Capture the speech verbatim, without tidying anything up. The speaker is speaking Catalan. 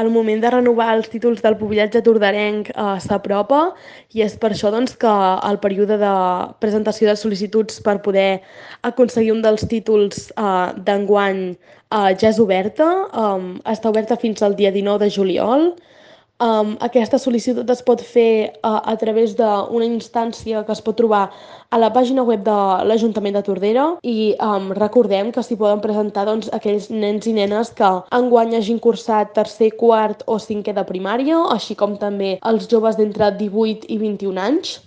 El moment de renovar els títols del pubillatge tordarenc eh, s'apropa i és per això doncs, que el període de presentació de sol·licituds per poder aconseguir un dels títols eh, d'enguany eh, ja és oberta. Um, està oberta fins al dia dinou de juliol. Um, aquesta sol·licitud es pot fer uh, a través d'una instància que es pot trobar a la pàgina web de l'Ajuntament de Tordera i um, recordem que s'hi poden presentar doncs, aquells nens i nenes que enguany hagin cursat tercer, quart o cinquè de primària, així com també els joves d'entre divuit i vint-i-un anys.